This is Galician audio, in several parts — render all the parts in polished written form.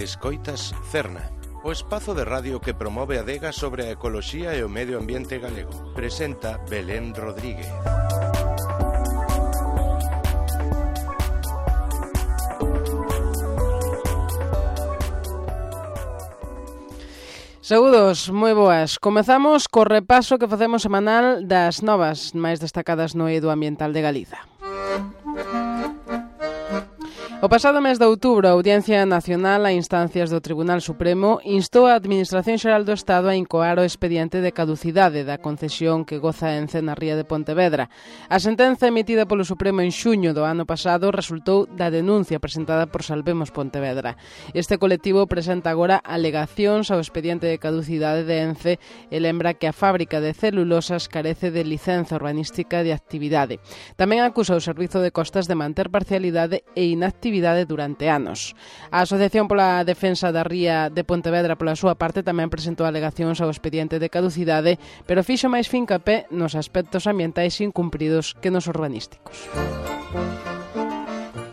Escoitas Cerna, o espazo de radio que promove a Adega sobre a ecoloxía e o medio ambiente galego. Presenta Belén Rodríguez. Saúdos, moi boas. Comezamos co repaso que facemos semanal das novas máis destacadas no eido ambiental de Galiza. O pasado mes de outubro, a Audiencia Nacional a instancias do Tribunal Supremo instou a Administración Xeral do Estado a incoar o expediente de caducidade da concesión que goza Ence na ría de Pontevedra. A sentenza emitida polo Supremo en xuño do ano pasado resultou da denuncia presentada por Salvemos Pontevedra. Este colectivo presenta agora alegacións ao expediente de caducidade de Ence e lembra que a fábrica de celulosas carece de licenza urbanística de actividade. Tamén acusa o Servizo de Costas de manter parcialidade e inactividade durante anos. A Asociación pola Defensa da Ría de Pontevedra, pola súa parte, tamén presentou alegacións ao expediente de caducidade, pero fixo máis fincapé nos aspectos ambientais incumpridos que nos urbanísticos.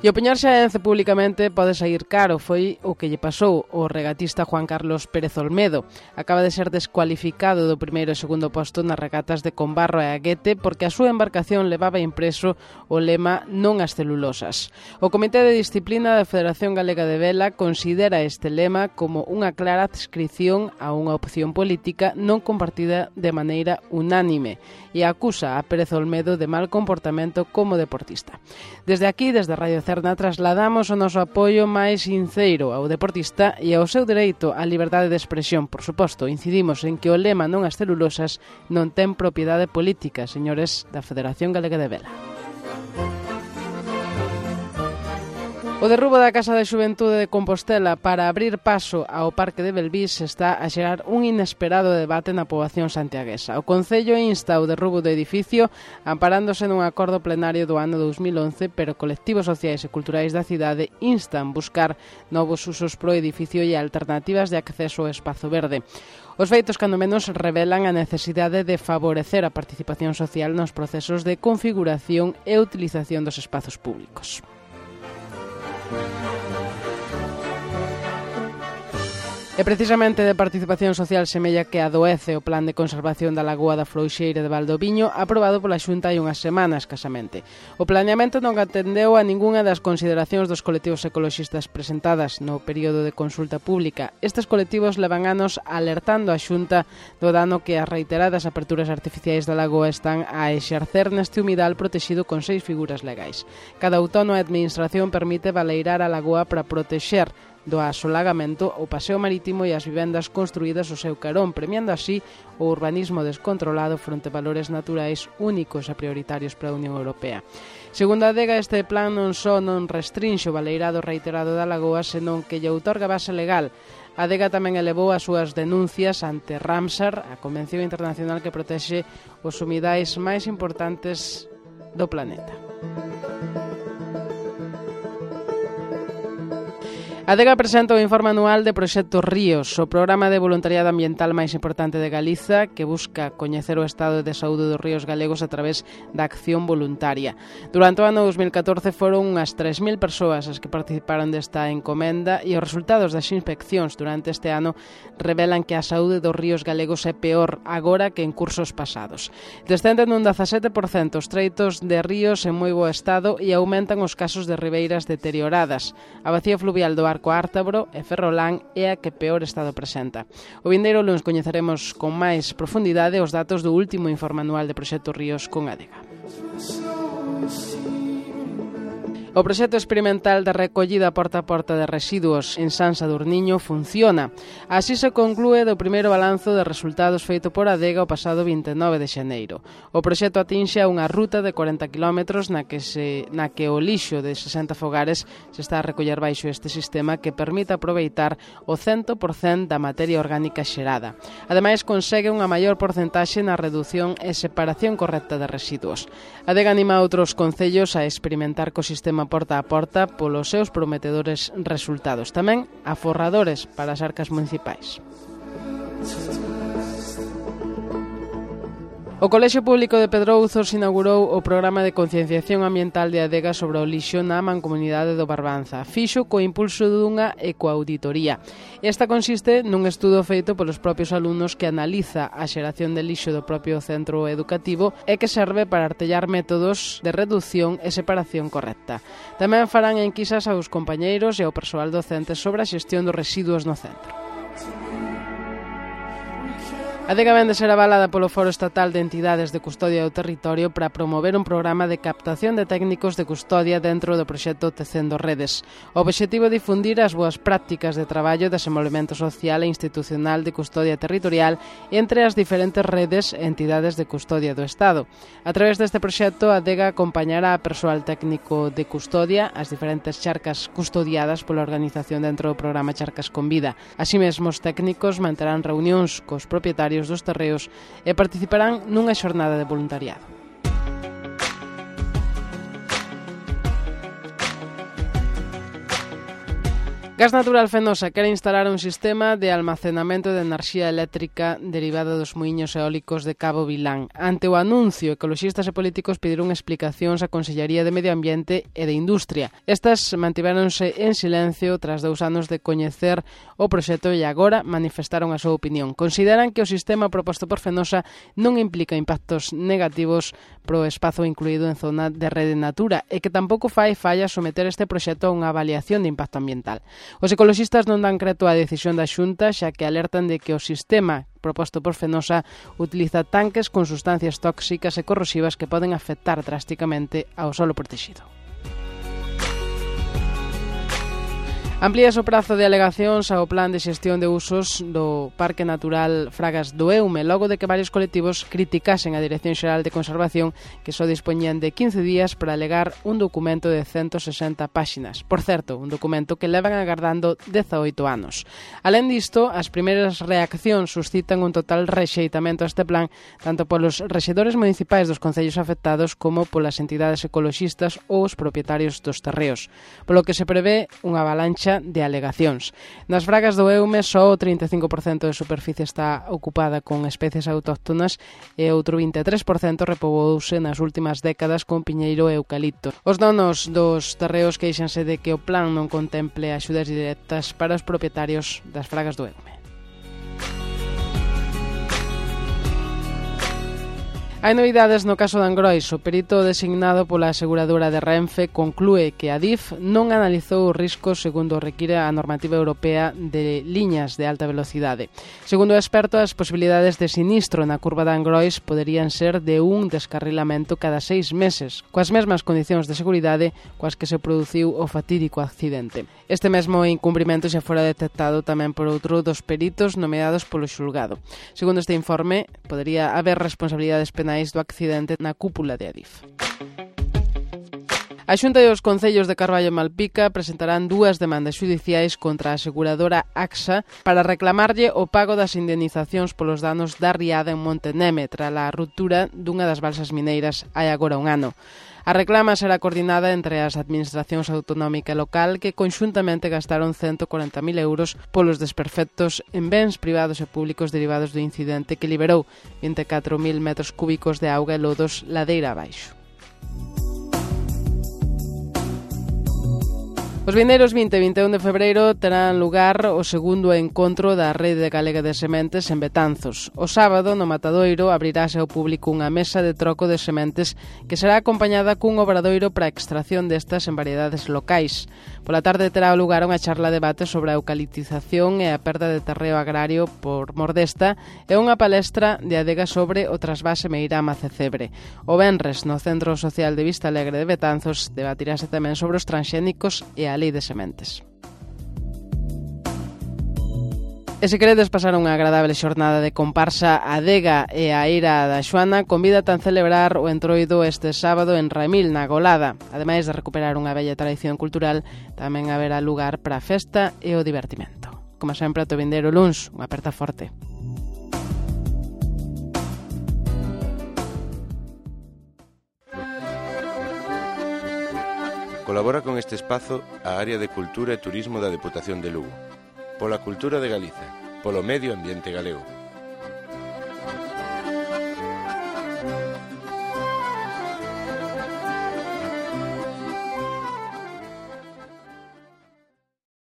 E opoñerse a Ence públicamente pode sair caro, foi o que lle pasou ao regatista Juan Carlos Pérez Olmedo. Acaba de ser descualificado do primeiro e segundo posto nas regatas de Combarro e Aguete porque a súa embarcación levaba impreso o lema "Non ás celulosas". O Comité de Disciplina da Federación Galega de Vela considera este lema como unha clara adscrición a unha opción política non compartida de maneira unánime e acusa a Pérez Olmedo de mal comportamento como deportista. Desde aquí, desde Radio Cerna, trasladamos o noso apoio máis sincero ao deportista e ao seu dereito á liberdade de expresión. Por suposto, incidimos en que o lema "Non ás celulosas" non ten propiedade política, señores da Federación Galega de Vela. O derrubo da Casa de Xuventude de Compostela para abrir paso ao Parque de Belvís está a xerar un inesperado debate na poboación santiaguesa. O Concello insta ao derrubo do edificio amparándose nun acordo plenario do ano 2011, pero colectivos sociais e culturais da cidade instan buscar novos usos pro edificio e alternativas de acceso ao espazo verde. Os feitos, cando menos, revelan a necesidade de favorecer a participación social nos procesos de configuración e utilización dos espazos públicos. E precisamente de participación social semella que adoece o Plan de Conservación da Lagoa da Frouxeira de Valdoviño aprobado pola Xunta hai unhas semanas casamente. O planeamento non atendeu a ningunha das consideracións dos colectivos ecoloxistas presentadas no período de consulta pública. Estes colectivos levan anos alertando a Xunta do dano que as reiteradas aperturas artificiais da lagoa están a exercer neste humidal protexido con 6 figuras legais. Cada outono a administración permite baleirar a lagoa para protexer do asolagamento o paseo marítimo e as vivendas construídas ao seu carón, premiando así o urbanismo descontrolado fronte a valores naturais únicos e prioritarios para a Unión Europea. Segundo a Adega, este plan non só non restrinxe o baleirado reiterado da lagoa, senón que lle outorga base legal. A Adega tamén elevou as súas denuncias ante Ramsar, a Convención Internacional que protexe os humidais máis importantes do planeta. A Adega presenta o informe anual de Proxecto Ríos, o programa de voluntariado ambiental máis importante de Galiza, que busca coñecer o estado de saúde dos ríos galegos a través da acción voluntaria. Durante o ano 2014 foron unhas 3.000 persoas as que participaron desta encomenda e os resultados das inspeccións durante este ano revelan que a saúde dos ríos galegos é peor agora que en cursos pasados. Descenden un 17% os treitos de ríos en moi bo estado e aumentan os casos de ribeiras deterioradas. A bacía fluvial do Arco Ártabro e Ferrolán é a que peor estado presenta. O vindeiro luns coñeceremos con máis profundidade os datos do último informe anual de Proxecto Ríos con Adega. O proxecto experimental de recollida porta a porta de residuos en San Sadurniño funciona. Así se conclúe do primeiro balanzo de resultados feito por Adega o pasado 29 de xaneiro. O proxecto atinxe a unha ruta de 40 km na que o lixo de 60 fogares se está a recoller baixo este sistema que permite aproveitar o 100% da materia orgánica xerada. Ademais, consegue unha maior porcentaxe na redución e separación correcta de residuos. Adega anima a outros concellos a experimentar co sistema porta a porta polos seus prometedores resultados. Tamén aforradores para as arcas municipais. O Colexio Público de Pedrouzos inaugurou o programa de concienciación ambiental de Adega sobre o lixo na mancomunidade do Barbanza. Fixo co impulso dunha ecoauditoría. Esta consiste nun estudo feito polos propios alumnos que analiza a xeración de lixo do propio centro educativo e que serve para artellar métodos de reducción e separación correcta. Tamén farán enquisas aos compañeiros e ao persoal docente sobre a xestión dos residuos no centro. A Adega vén de ser avalada polo Foro Estatal de Entidades de Custodia do Territorio para promover un programa de captación de técnicos de custodia dentro do proxecto Tecendo Redes. O obxectivo é difundir as boas prácticas de traballo e desenvolvemento social e institucional de custodia territorial entre as diferentes redes e entidades de custodia do Estado. A través deste proxecto, a Adega acompañará a persoal técnico de custodia as diferentes charcas custodiadas pola organización dentro do programa Charcas con Vida. Así mesmo, os técnicos manterán reunións cos propietarios dos terreos e participarán nunha xornada de voluntariado. Gas Natural Fenosa quere instalar un sistema de almacenamento de enerxía eléctrica derivada dos muiños eólicos de Cabo Vilán. Ante o anuncio, ecoloxistas e políticos pediron explicacións á Consellería de Medio Ambiente e de Industria. Estas mantiveronse en silencio tras 2 anos de coñecer o proxecto e agora manifestaron a súa opinión. Consideran que o sistema proposto por Fenosa non implica impactos negativos pro espazo incluído en zona de rede Natura e que tampouco fai falla someter este proxecto a unha avaliación de impacto ambiental. Os ecoloxistas non dan creto á decisión da Xunta, xa que alertan de que o sistema proposto por Fenosa utiliza tanques con sustancias tóxicas e corrosivas que poden afectar drásticamente ao solo protegido. Amplíase o prazo de alegacións ao plan de xestión de usos do Parque Natural Fragas do Eume, logo de que varios colectivos criticasen a Dirección Xeral de Conservación que só dispoñían de 15 días para alegar un documento de 160 páxinas. Por certo, un documento que levan agardando 18 anos. Alén disto, as primeiras reaccións suscitan un total rexeitamento a este plan, tanto polos rexedores municipais dos concellos afectados como polas entidades ecoloxistas ou os propietarios dos terreos, polo que se prevé unha avalancha de alegacións. Nas Fragas do Eume só o 35% de superficie está ocupada con especies autóctonas e outro 23% repobouse nas últimas décadas con piñeiro e eucalipto. Os donos dos terreos queixanse de que o plan non contemple axudas directas para os propietarios das Fragas do Eume. Hai novidades no caso de Angrois. O perito designado pola aseguradora de Renfe conclúe que a DIF non analizou os riscos segundo require a normativa europea de liñas de alta velocidade. Segundo o experto, as posibilidades de sinistro na curva de Angrois poderían ser de un descarrilamento cada 6 meses, coas mesmas condicións de seguridade coas que se produciu o fatídico accidente. Este mesmo incumprimento xa fora detectado tamén por outro dos peritos nomeados polo xulgado. Segundo este informe, podería haber responsabilidades penais do accidente na cúpula de Adif. A Xunta e os concellos de Carballo e Malpica presentarán 2 demandas xudiciais contra a aseguradora AXA para reclamarlle o pago das indemnizacións polos danos da riada en Monteneme tras a ruptura dunha das balsas mineiras hai agora un ano. A reclama será coordinada entre as administracións autonómica e local que conxuntamente gastaron 140.000 euros polos desperfectos en bens privados e públicos derivados do incidente que liberou 24.000 metros cúbicos de auga e lodos ladeira abaixo. Os vindeiros 20 e 21 de febreiro terán lugar o segundo encontro da Rede Galega de Sementes en Betanzos. O sábado, no Matadoiro, abrirase ao público unha mesa de troco de sementes que será acompañada cun obradoiro para a extracción destas en variedades locais. Pola tarde terá lugar unha charla debate sobre a eucaliptización e a perda de terreo agrario por mordesta e unha palestra de Adega sobre o trasvase Meirama-Cecebre. O venres, no Centro Social de Vista Alegre de Betanzos, debatirase tamén sobre os transxénicos e a lei de sementes. E se queredes pasar unha agradable xornada de comparsa, a Adega e a Eira da Xoana convídate a celebrar o entroido este sábado en Raimil, na Golada. Ademais de recuperar unha bella tradición cultural, tamén haberá lugar para a festa e o divertimento. Como sempre, ata o vindeiro luns, unha aperta forte. Colabora con este espazo a Área de Cultura e Turismo da Deputación de Lugo. Pola cultura de Galiza, polo medio ambiente galego.